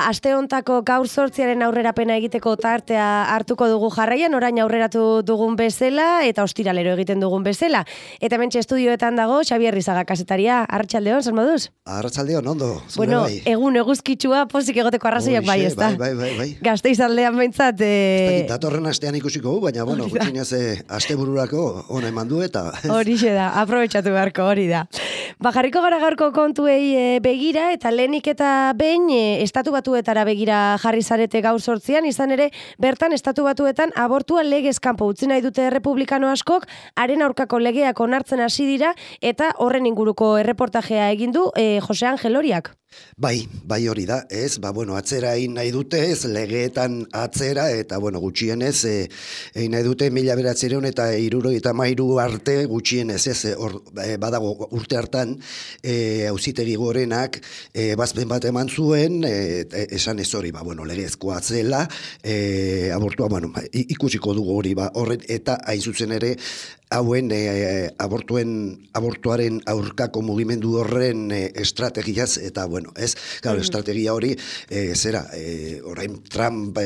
Aste hontako gaur 8 aurrerapena egiteko tartea hartuko dugu jarraian, orain aurreratu dugun bezala eta ostiralero egiten dugun bezala. Eta hementxe estudioetan dago Xabier Rizaga kasetaria. Arratsaldeon, zer moduz? Arratsaldeon, ondo. Bueno, bai. Egun eguzkitsua pozik egoteko arrazoiak bai, ezta? Bai. Gasteiz aldean behintzat... Datorren astean ikusiko, baina, bueno, gutxinez astebururako ona eman du eta... Horixe da, aprobetxatu beharko, hori da. Jarriko gara gaurko kontuei begira eta lehenik eta behin Estatu Batuetara begira jarri zarete gaur 8, izan ere, bertan Estatu Batuetan abortua legez kanpo utzi nahi dute republikano askok, haren aurkako legeak onartzen hasi dira eta horren inguruko erreportajea egin du Jose Angel Oriak. Bai hori da, ez, atzera egin nahi dute, ez, legeetan atzera, eta, gutxienez, egin nahi dute 1900 eta 1973 arte gutxienez, ez, badago urte hartan, auzitegi gorenak, bazpen bat eman zuen, esan ez hori, legezkoa zela, abortua, ikusiko dugu hori, horren, eta hain zuzen ere, hauen abortuaren aurkako mugimendu horren estrategiaz, eta estrategia hori orain Trump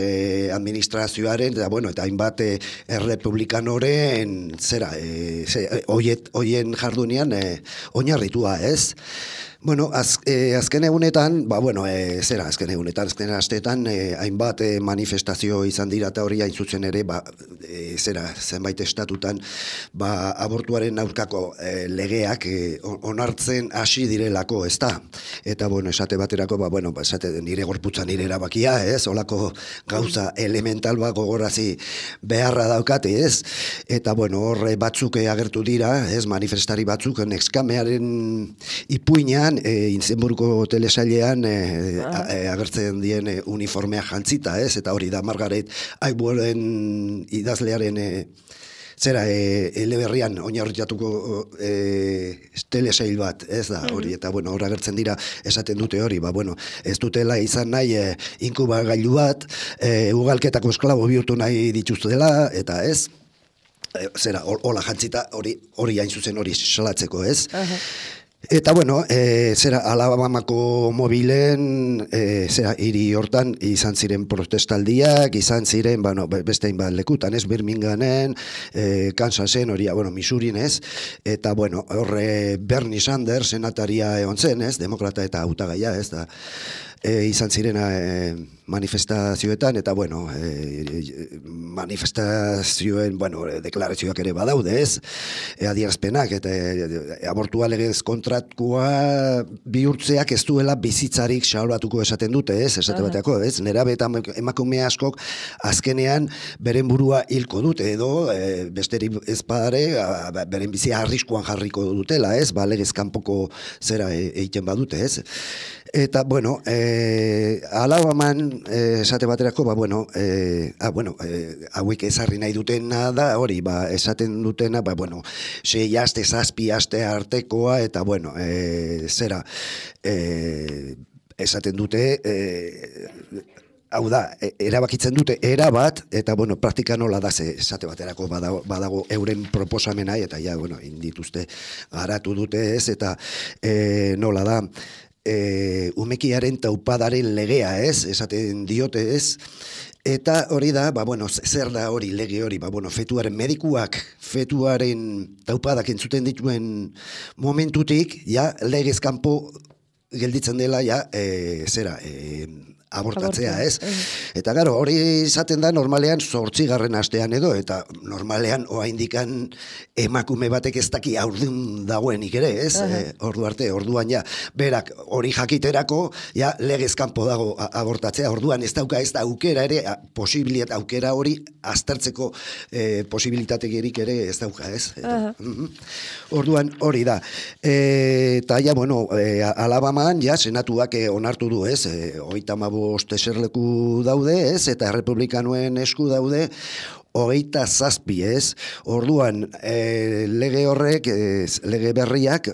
administrazioaren, eta hainbat errepublikanoren hoien jardunean oinarritua, ez? Azken egunetan, azken asteetan, hainbat manifestazio izan dira eta hori hain zuzen ere, zenbait estatutan, abortuaren aurkako legeak onartzen hasi direlako, ez da? Eta, esate baterako, nire gorputza nire erabakia, ez? Olako gauza elemental gogorazi beharra daukate, ez? Eta, horre batzuk agertu dira, ez? Manifestari batzuk, Nexkamearen ipuinean, Inzenburgo telesailean agertzen dien uniformea jantzita, ez? Eta hori da Margaret Atwooden idazlearen eleberrian oinarritatuko telesail bat, ez da, hori, eta hor agertzen dira esaten dute hori, ez dutela izan nahi inkubagailu bat, ugalketako esklabo bihurtu nahi dituztela, eta ez, hola jantzita hori hain zuzen hori salatzeko, ez? Eta Alabamako mobilen hiri hortan izan ziren protestaldiak, izan ziren beste hainbat lekutan, ez, Birminghamen, Kansasen, hori, Missourin, ez, eta horre Bernie Sanders senataria egon zen, ez, demokrata eta hautagaia, ez da, izan ziren manifestazioetan, eta manifestazioen, deklarazioak ere badaude, ez, adierazpenak, eta abortua legez kontratua bihurtzeak ez duela bizitzarik salbatuko esaten dute, ez, esate bateako, ez, nerabe eta emakume askok azkenean beren burua hilko dute, edo besterik ez padare, beren bizia arriskuan jarriko dutela, ez, legez kanpoko zera egiten badute, ez. Eta, Alabaman, esate baterako, hauek ezarri nahi dutena da, hori, esaten dutena, 6 aste, 7 aste artekoa, eta, esaten dute, hau da, erabakitzen dute erabat, eta, praktika nola da, esate baterako badago euren proposamena, eta, indituzte garatu dute ez, eta nola da, umekiaren taupadaren legea, ez, esaten diote, ez, eta hori da, zer da hori, lege hori, fetuaren medikuak, fetuaren taupadak entzuten dituen momentutik, legez kanpo gelditzen dela, abortatzea, ez? Eta gero, hori izaten da normalean 8. astean edo, eta normalean oraindikan emakume batek ez daki haurdun dagoenik ere, ez? Orduan ja, berak hori jakiterako, ja, legez kanpo dago abortatzea, orduan ez da aukera ere, posibilitate aukera hori aztertzeko posibilitaterik ere ez dauka, ez? Orduan hori da. Eta ja, bueno, Alabaman, ja, senatuak onartu du, ez? 35 eserleku daude, ez? Eta republikanoen esku daude 27, ez? Orduan, lege horrek, lege berriak,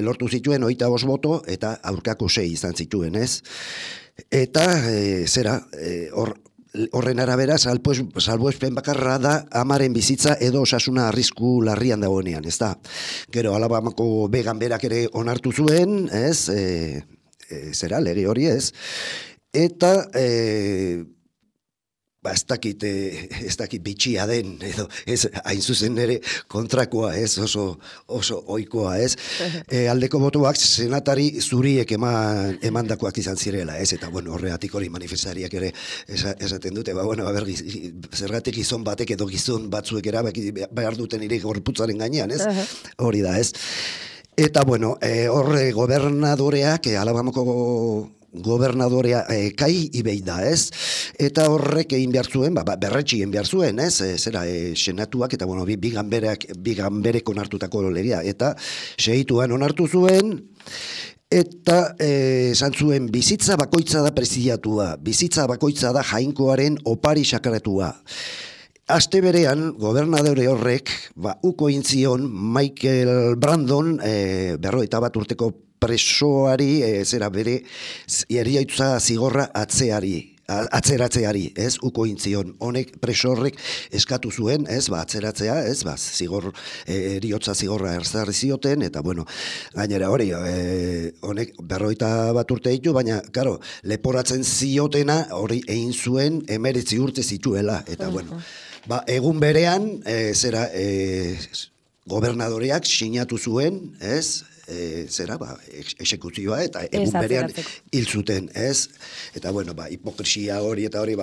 lortu zituen 25 boto, eta aurkako 6 izan zituen, ez? Eta, horren arabera, salbuespen bakarra da amaren bizitza edo osasuna arrisku larrian dagoenean, ez da? Gero, Alabamako began berak ere onartu zuen, ez? Lege hori, ez? Eta, ez dakit bitxia den, edo, ez, hain zuzen ere kontrakoa, ez, oso ohikoa, ez. Aldeko botoak senatari zuriek emandakoak izan zirela, ez, eta, bueno, horregatik hori manifestariak ere esaten dute, zergatik gizon batek edo gizon batzuek erabaki behar duten ere gorputzaren gainean, ez, hori da, ez. Eta, bueno, horre gobernadoreak, Alabamako gobernadorea Kai Ibei da, ez? Eta horrek egin behar zuen, berretsi egin behar zuen, ez? Senatuak, eta, bueno, biganberek onartutako legea, eta segituan onartu zuen, eta esan zuen bizitza bakoitza da preziatua, bizitza bakoitza da jainkoaren opari sakratua. Aste berean, gobernadore horrek, uko intzion Michael Brandon, 51 urteko presoari, bere eriaitza zigorra atzeratzeari, ez, uko intzion. Honek preso horrek eskatu zuen, ez, atzeratzea, ez, zigor, eriotza zigorra erzarri zioten, eta, bueno, gainera hori, honek 51 urte ditu, baina, karo, leporatzen ziotena hori egin zuen 19 urte zituela, eta, bueno, egun berean, gobernadoreak sinatu zuen, ez, exekuzioa, eta egun berean hil zuten, ez? Eta, bueno, hipokrisia hori, eta hori,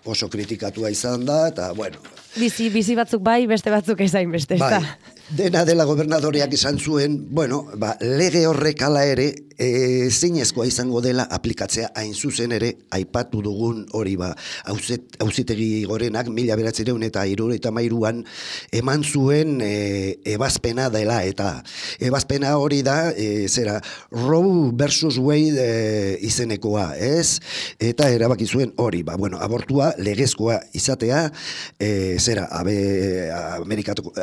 oso kritikatua izan da, eta, bueno. Bizi batzuk bai, beste batzuk ezain beste, ez da? Dena dela gobernadoreak esan zuen, bueno, lege horrek ala ere, zeinezkoa izango dela aplikatzea hain zuzen ere, aipatu dugun hori auzitegi gorenak 1973an eman zuen ebazpena dela, eta ebazpena hori da, Roe versus Wade izenekoa, ez? Eta erabaki zuen hori, abortua legezkoa izatea,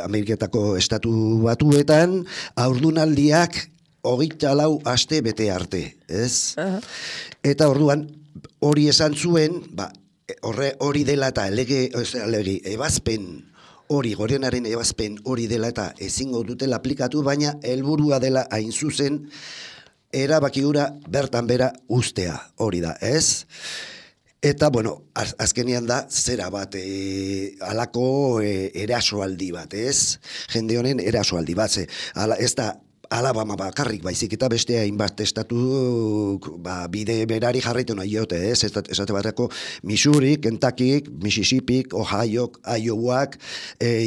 Ameriketako Estatu Batuetan, haurdunaldiak 24 aste bete arte, ez? Eta orduan, hori esan zuen, hori dela eta ebazpen hori, gorenaren ebazpen hori dela eta ezingo dutela aplikatu, baina helburua dela hain zuzen, erabaki hura bertan bera ustea, hori da, ez? Eta, bueno, azkenean da, zera bat, alako erasoaldi bat, ez? Jende honen erasoaldi bat, ez da, Alabama bakarrik baizik eta beste hainbat estatu bide berari jarraitu nahi jote, ez? Esate bateko Missouri, Kentucky, Mississippi, Ohio, Iowak,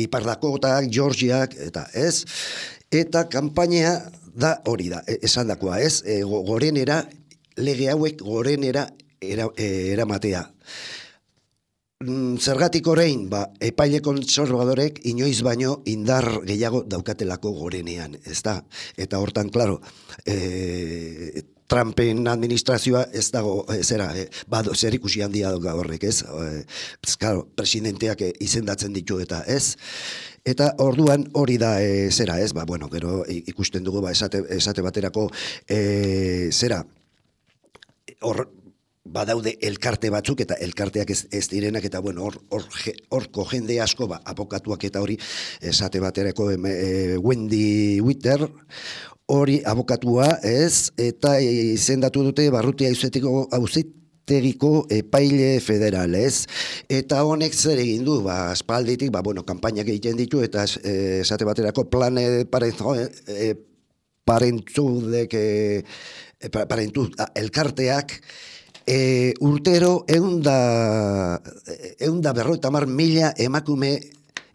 Ipar Dakotak, Georgiak, eta ez? Eta kanpaina da hori da, esan dakoa, ez? Gorenera, lege hauek gorenera eramatea. Zergatik orain, epaile kontserbadorek inoiz baino indar gehiago daukatelako gorenean, ez da? Eta hortan, klaro, Trumpen administrazioa ez dago, zer ikusi handia dauka horrek, ez? Klaro, presidenteak izendatzen ditu eta ez? Eta orduan hori da, gero ikusten dugu, esate baterako, badaude elkarte batzuk, eta elkarteak ez direnak, eta bueno, horko jende asko, abokatuak eta hori, esate baterako Wendy Witter, hori abokatua, ez, eta izendatu dute Barrutia Auzitegiko epaile federal, ez, eta honek zer egin du, aspalditik, kanpainak egiten ditu, eta esate baterako Planned Parenthoodek parentu, elkarteak, urtero 150.000 emakume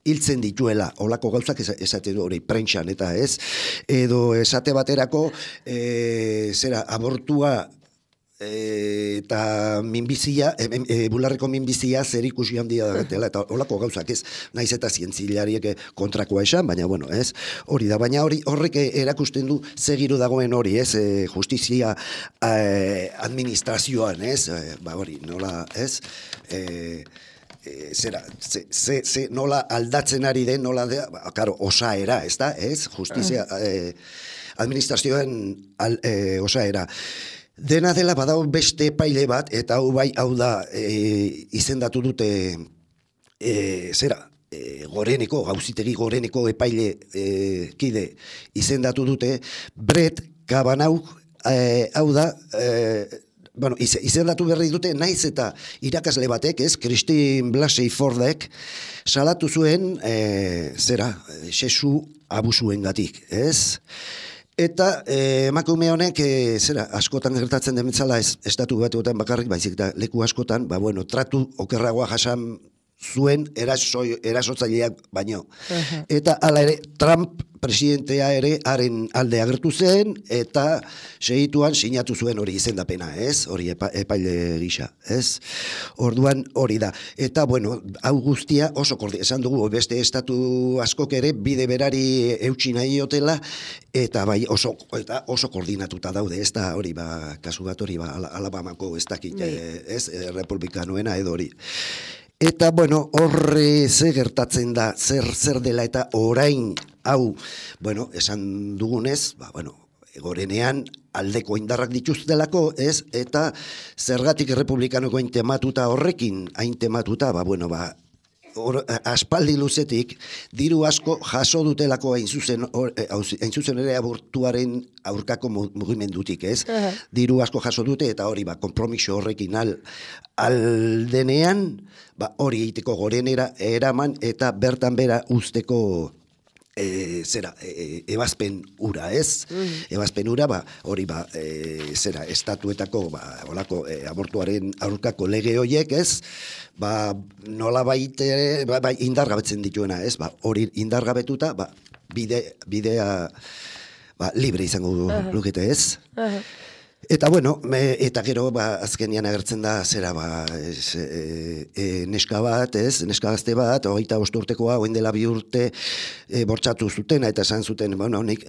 hiltzen dituela, olako gauzak esate du hori prentxan, eta ez, edo esate baterako, abortua eta minbizia, bularreko minbizia zer ikusi handia dagatela, eta olako gauzak ez, naiz eta zientzilariek kontrakoa esan, baina bueno, ez, hori da, baina horrek erakusten du segiru dagoen hori, ez, justizia administrazioan, ez, hori, nola, ez, nola aldatzen ari den, nola, karo, osaera, ez da, ez, justizia administrazioan osaera. Dena dela badao beste epaile bat, eta hau da izendatu dute Goreneko, Auzitegi Goreneko epaile kide izendatu dute, Brett Kavanaugh, hau da, izendatu berri dute, naiz eta irakasle batek, ez, Christine Blasey Fordek, salatu zuen, sexu abusuengatik, ez? Eta emakume honek, askotan gertatzen dementzala estatu batuetan bakarrik, baizik eta leku askotan, tratu okerragoa jasan zuen erasotzaileak baino. Eta hala ere, Trump presidentea ere haren alde agertu zen, eta segituan sinatu zuen hori izendapena, ez? Hori epaile gisa, ez? Orduan hori da. Eta, hau guztia oso esan dugu, beste estatu askok ere bide berari eutsi nahi otela, eta oso koordinatuta daude, ez da hori, kasu bat hori, Alabamako ez dakit, ez? Republikanoena edo hori. Eta, horre ze gertatzen da, zer dela eta orain hau, esan dugunez, Gorenean aldeko indarrak dituztelako, ez? Eta zergatik republikanoko hain tematuta horrekin, hain tematuta, aspaldi luzetik, diru asko jaso dutelako hain zuzen ere abortuaren aurkako mugimendutik, ez? Diru asko jaso dute, eta hori, konpromiso horrekin aldenean, hori egiteko Gorenera eraman, eta bertan bera usteko ebazpen ura, ez? Ebazpen ura, hori, estatuetako, olako, abortuaren aurkako lege horiek, ez? Nola baite, indargabetzen dituena, ez? Hori indargabetuta, bidea libre izango lukete, ez? Eta eta gero azkenian agertzen da neska bat, ez? Neska gazte bat, 25 urtekoa, orain dela 2 urte bortxatu zuten, eta esan zuten, nik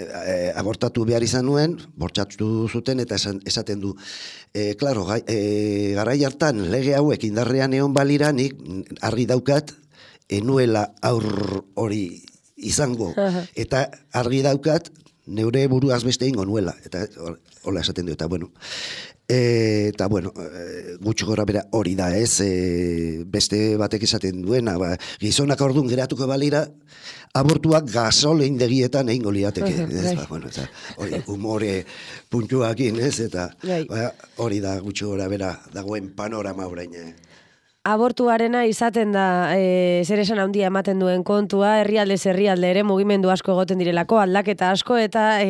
abortatu behar izan nuen, bortxatu zuten, eta esaten du, klaro, garai hartan lege hauek indarrean egon balira, nik argi daukat, enuela aur hori izango, eta argi daukat, neure buruaz beste ingo nuela, eta hola esaten du, eta gutxi gora bera hori da, ez, beste batek esaten duena, gizonak orduan geratuko balira, abortuak gasolindegietan egingo liateke, hori humore puntuakin, ez, eta hori da gutxi gora bera dagoen panorama orain. Abortuarena izaten da zer esan handia ematen duen kontua, herrialdez herrialde ere mugimendu asko egoten direlako, aldaketa asko eta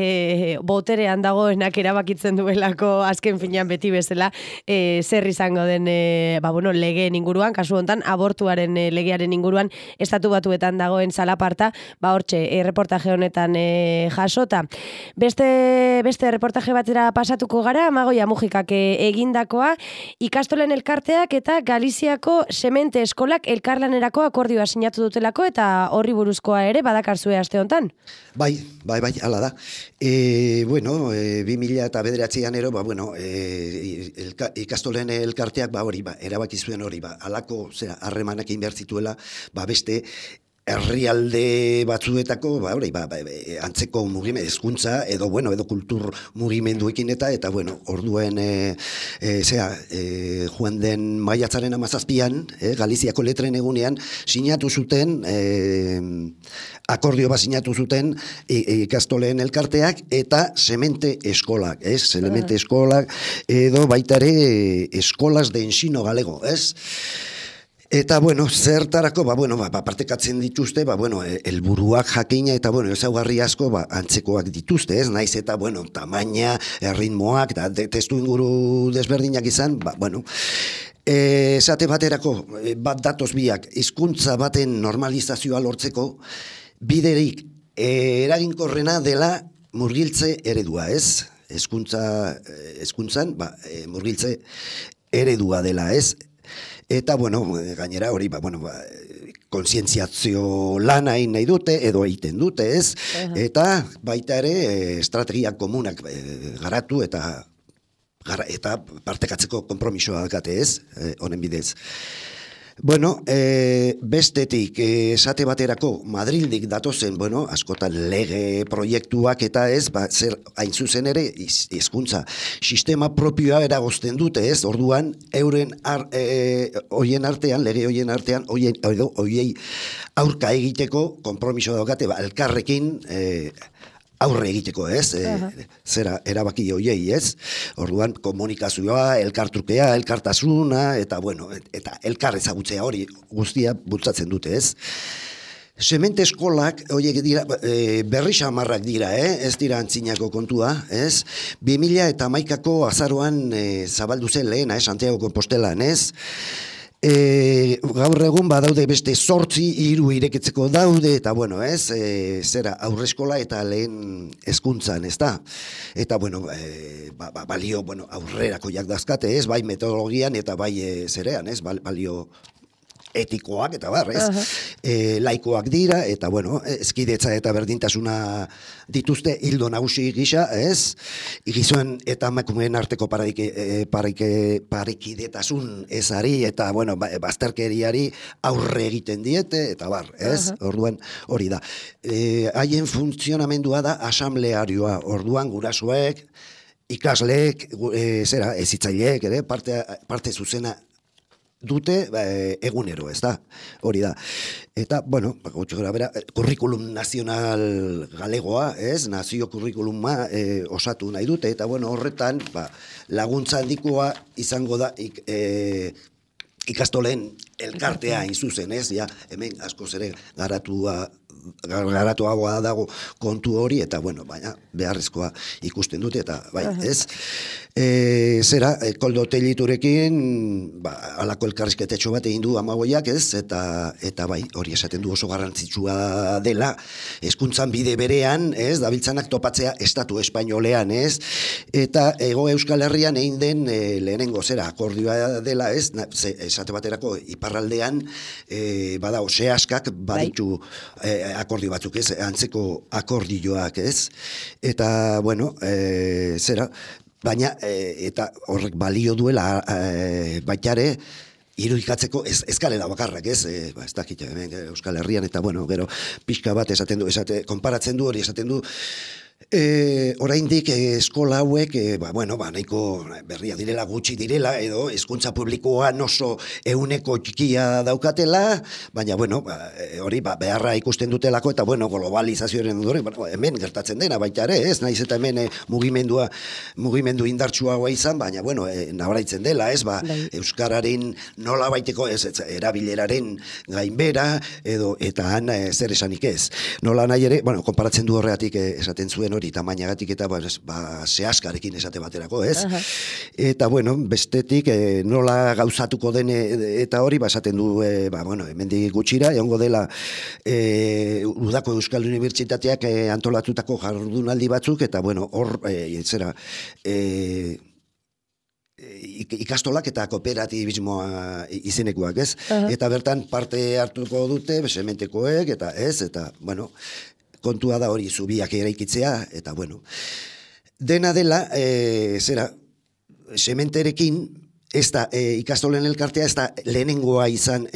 boterean dagoenak erabakitzen duelako azken finean beti bezala zer izango den legeen inguruan, kasu hontan abortuaren legearen inguruan estatu batuetan dagoen zalaparta, hortxe reportaje honetan jasota. Beste reportaje batera pasatuko gara, Amagoia Mujikak egindakoa, ikastolen elkarteak eta Galiziako semente eskolak elkarlanerako akordioa sinatu dutelako, eta horri buruzkoa ere badakarzue aste hontan. Bai, hala da. 2009an ero, ikastolen elkarteak erabaki zuen hori, halako harremanak egin behar zituela, beste herrialde batzuetako, antzeko mugimendu, hezkuntza, edo kultur mugimenduekin eta orduen, joan den maiatzaren 17an, Galiziako letren egunean, sinatu zuten, akordio bat sinatu zuten ikastoleen elkarteak eta semente eskolak, semente eskolak, edo baita ere eskolas de ensino galego, Eta, bueno, zertarako, partekatzen dituzte, helburuak jakina eta, ezaugarri asko, antzekoak dituzte, ez? Naiz eta, tamaina, ritmoak, eta testu inguru desberdinak izan, esate baterako, bat datoz biak, hizkuntza baten normalizazioa lortzeko, biderik eraginkorrena dela murgiltze eredua, ez? Hezkuntzan, murgiltze eredua dela, ez? Eta, gainera hori, kontzientziazio lana egin nahi dute, edo egiten dute, ez? Eta baita ere, estrategia komunak garatu eta partekatzeko konpromisoa dakate, ez? Honen bidez. Bestetik, esate baterako Madrildik datozen, askotan lege proiektuak eta ez, zer hain zuzen ere, hizkuntza sistema propioa eragozten dute, ez, orduan, euren hoien artean, lege hoien artean, hoiei aurka egiteko konpromiso daukate, elkarrekin aurre egiteko, ez? Zera, erabaki hoiei, ez? Orduan, komunikazioa, elkartrukea, elkartasuna, eta elkar ezagutzea hori guztia bultzatzen dute, ez? Semente eskolak, horiek dira, berri xamarrak dira, ez dira antzinako kontua, ez? 2011ko azaroan zabaldu zen lehena, Santiago Compostelan, ez? Gaur egun badaude beste 8 hiru irekitzeko daude, eta zera aurreskola eta lehen hezkuntzan, ez da? Eta balio aurrerako jakdazkate, ez? Bai metodologian eta bai zerean, ez? Balio etikoak eta laikoak dira, eta ezkidetza eta berdintasuna dituzte hildo nagusi gisa, ez? Gizoen eta emakumeen arteko parekidetasun ezari eta bazterkeriari aurre egiten diete, eta ez? Orduan hori da. Haien funtzionamendua da asamblearioa, orduan gurasoek, ikasleek, hezitzaileek ere, parte zuzena dute egunero, ez da, hori da. Eta, kurrikulum nazional galegoa, ez, nazio kurrikuluma osatu nahi dute, eta horretan, laguntza handikoa izango da ikastolen elkartea inzuzen, ez, hemen askoz ere garatuagoa dago kontu hori, eta baina beharrezkoa ikusten dute, eta ez. Zera, Koldo Telliturekin, alako elkarrizketetxo bat egin du amagoiak, ez, eta hori esaten du oso garrantzitsua dela, hezkuntzan bide berean, ez, dabiltzanak topatzea estatu espainolean, ez, eta Hego Euskal Herrian egin den lehenengo zera akordioa dela, ez, esate baterako iparraldean, badao, sehaskak baditu akordio batzuk, ez, antzeko akordioak, ez, eta, zera, baina, eta horrek balio duela baitare, irudikatzeko ez galela bakarrak, ez, ez dakit, Euskal Herrian, eta, gero, pixka bat esaten du, konparatzen du hori, esaten du, oraindik eskola hauek, nahiko berria direla, gutxi direla, edo hezkuntza publikoan oso ehuneko txikia daukatela, baina, hori beharra ikusten dutelako, eta, globalizazioaren ondoren, hemen gertatzen dena, baita ere, ez, naiz eta hemen mugimendu indartsuagoa izan, baina, nabaraitzen dela, ez, euskararen nola baiteko, ez, erabileraren gainbera, edo, eta han zer esanik ez. Nola nahi ere, konparatzen du horregatik esaten zuen hori tamainagatik eta sehaskarekin esate baterako, ez? Eta, bestetik nola gauzatuko den eta hori, esaten du, hemendik gutxira, egongo dela Udako Euskal Unibertsitateak antolatutako jardunaldi batzuk, eta, hor, zera, ikastolak eta kooperatibismoa izenekoak, ez? Eta bertan parte hartuko dute, sementekoek, eta ez, eta, kontua da hori zubiak eraikitzea, eta dena dela, zera, sementerekin, ez da, ikastolen elkartea, ez da, lehenengoa izan,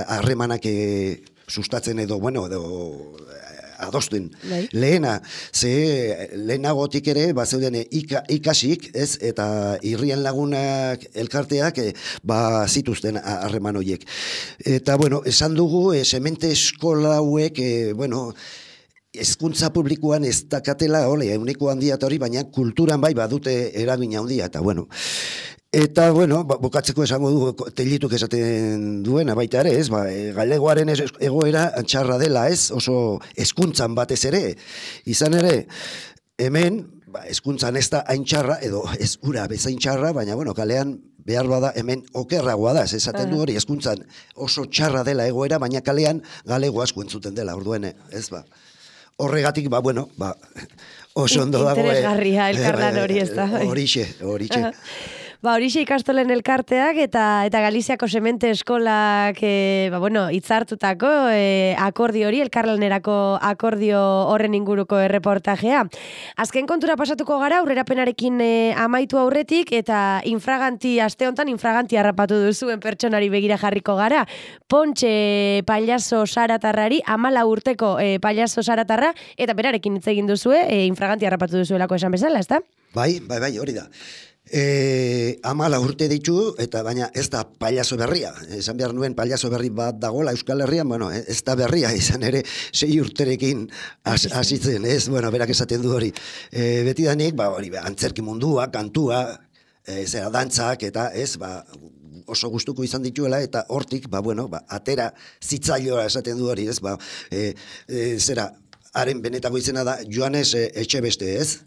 harremanak sustatzen edo, adosten. Lehena, lehenagotik ere, zeuden ikasik, ez, eta irrian lagunak elkarteak, zituzten harreman horiek. Eta, esan dugu, semente eskola hauek, hezkuntza publikoan ez dakatela, ehuneko handia eta hori, baina kulturan bai badute eragin handia, eta Eta, bueno, bukatzeko esango du Tellituk esaten duena baita ere, ez? Galegoaren egoera txarra dela, ez? Oso hezkuntzan batez ere. Izan ere, hemen, hezkuntzan ez da hain txarra, edo ez ura bezain txarra, baina, bueno, kalean behar bada hemen okerragoa da, ez esaten du hori, hezkuntzan oso txarra dela egoera, baina kalean galego asko entzuten dela, orduen, ez ba. Horregatik, bueno, oso ondo dago. Interesgarria, elkarlan hori ez da. Horixe. Horixe ikastolen elkarteak eta Galiziako Semente Eskolak hitzartutako akordio hori, elkarlanerako akordio horren inguruko erreportajea. Azken kontura pasatuko gara, aurrerapenarekin amaitu aurretik, eta aste honetan infraganti harrapatu duzuen pertsonari begira jarriko gara. Pontxe pailazo saratarrari, 14 urteko pailazo saratarra, eta berarekin hitz egin duzue, infraganti harrapatu duzuelako esan bezala, ezta? Bai, hori da. 14 urte ditu, eta baina ez da pailazo berria. Esan behar nuen pailazo berri bat dagoela Euskal Herrian, ez da berria, izan ere 6 urterekin hasitzen, ez? Berak esaten du hori. Betidanik, antzerki mundua, kantua, dantzak, eta ez, oso gustuko izan dituela, eta hortik, atera zitzailoa esaten du hori, ez? Haren benetako izena da Joanes Etxebeste, ez?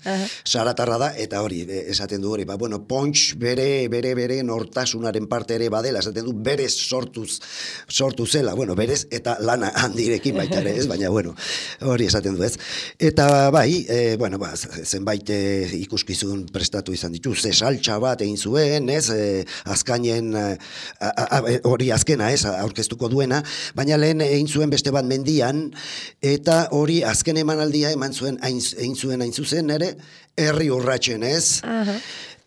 Saratarra da, eta hori, esaten du hori. Pontx bere nortasunaren parte ere badela, esaten du berez sortu zela, berez eta lana handirekin baita ere, ez? Baina, hori esaten du, ez? Eta zenbait ikuskizun prestatu izan ditu, zesaltxa bat egin zuen, ez? Azkainen, hori azkena, ez? Aurkeztuko duena, baina lehen egin zuen beste bat mendian, eta hori azken emanaldia eman zuen egin zuen hain zuzen ere herri urratsen, ez?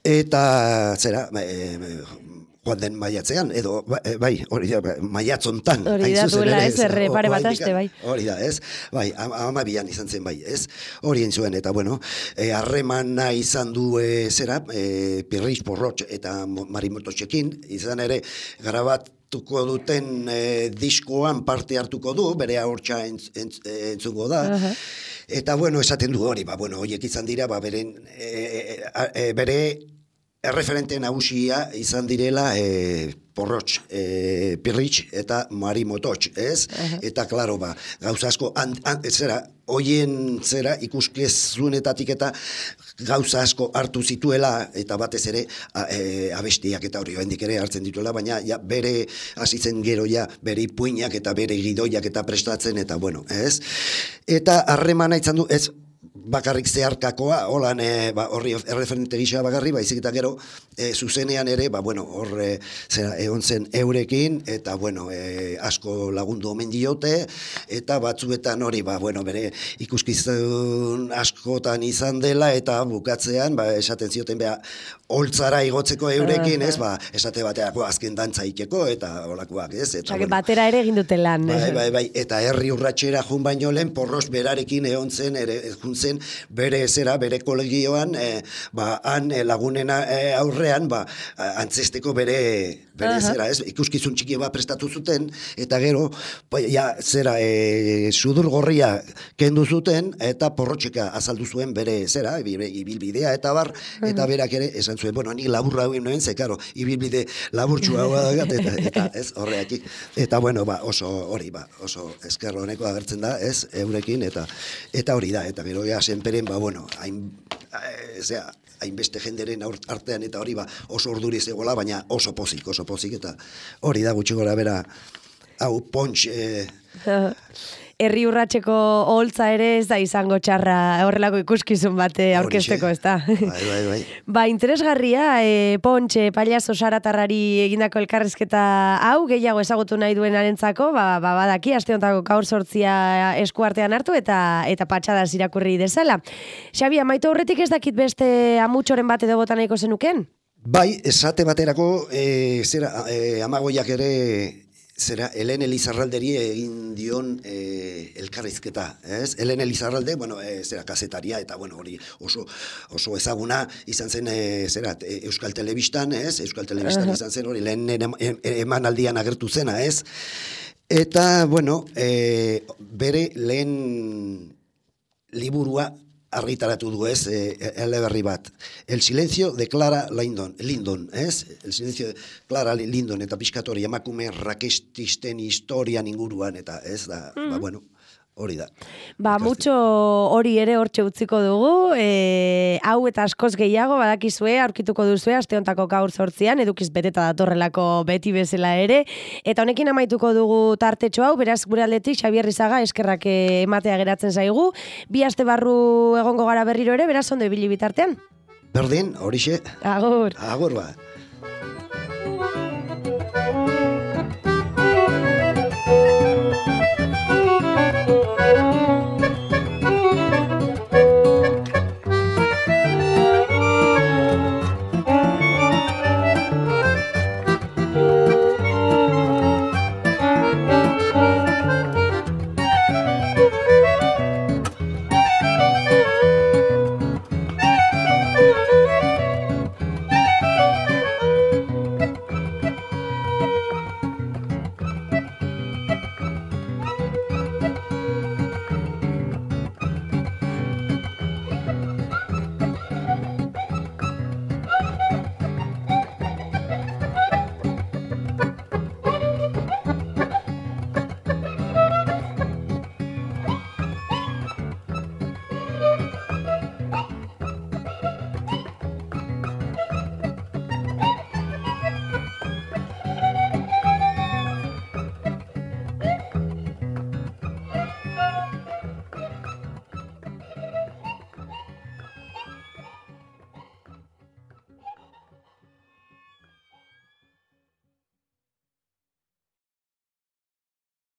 Eta zera joan den maiatzean, edo hori da, maiatzontan. Hori da, duela ez, pare bat aste, bai. Hori da, ez? 12an izan zen, bai, ez? Hori egin zuen, eta harremana izan du Pirritx Porrotx eta Marimototxekin, izan ere grabatuko duten diskoan parte hartuko du, bere ahortza entzungo da. Eta, esaten du hori, horiek izan dira, bere erreferente nagusia izan direla Porrotx, Pirritx eta Marimototx, ez? Eta, klaro, gauza asko, hoien ikuskizunetatik eta gauza asko hartu zituela, eta batez ere abestiak eta hori hendik ere hartzen dituela, baina bere hasitzen gero bere ipuinak eta bere gidoiak eta prestatzen, eta ez? Eta harremana izan du, ez? Bakarrik zeharkakoa, holan horri erreferente gisa bakarri, baizik eta gero zuzenean ere, hor egon zen eurekin, eta asko lagundu omen diote, eta batzuetan hori, bere ikuskizun askotan izan dela, eta bukatzean, esaten zioten holtzara igotzeko eurekin, ez, esate bateako azken dantza ikeko, eta holakoak, ez? Batera ere egin dute lan. Bai, eta herri urratxera jun baino lehen, Porrotx berarekin egon zen, bere kolegioan, han lagunen aurrean, antzesteko bere ikuskizun txiki bat prestatu zuten, eta gero, sudur gorria kendu zuten, eta Porrotxeka azaldu zuen bere ibilbidea, eta berak ere esan zuen, nik laburra hauen noen, zekaro, ibilbide laburtsua hau da, eta ez horreakik, eta oso hori, oso esker honeko agertzen da, ez, eurekin, eta hori da, eta gero senperen, hainbeste jenderen artean, eta hori oso urduri zegoela, baina oso pozik, eta hori da gutxi gora bera, hau Pontx... Herri urratxeko oholtza ere ez da izango txarra horrelako ikuskizun bate aurkezteko, ez da? Bai. Interesgarria, Pontxe pailazo saratarrari egindako elkarrizketa hau, gehiago ezagutu nahi duenarentzako, badaki, aste hontako gaur 8 eskuartean hartu eta patxadaz irakurri dezala. Xabi, amaitu aurretik ez dakit beste amutxoren bat edo bota nahiko zenuken? Bai, esate baterako, amagoiak ere... Helen Elizarralderi egin dion elkarrizketa, ez? Helen Elizarralde, kazetaria, eta hori oso ezaguna izan zen, Euskal Telebistan, ez? Euskal Telebistan izan zen hori, lehen emanaldian agertu zena, ez? Eta, bere lehen liburua argitaratu du ez, eleberri bat. El silencio de Clara Lindon, ez? El silencio de Clara Lindon, eta pixkatori emakume rakestisten historian inguruan, eta ez da, bueno, hori da. Mucho hori ere hortxe utziko dugu, hau eta askoz gehiago badakizue, aurkituko duzue, aste hontako gaur 8an, edukiz beteta datorrelako beti bezala ere, eta honekin amaituko dugu tartetxo hau, beraz gure aldetik Xabier Rizaga eskerrak ematea geratzen zaigu, 2 aste barru egongo gara berriro ere, beraz ondo ibili bitartean. Berdin, horixe. Agur. Agur ba.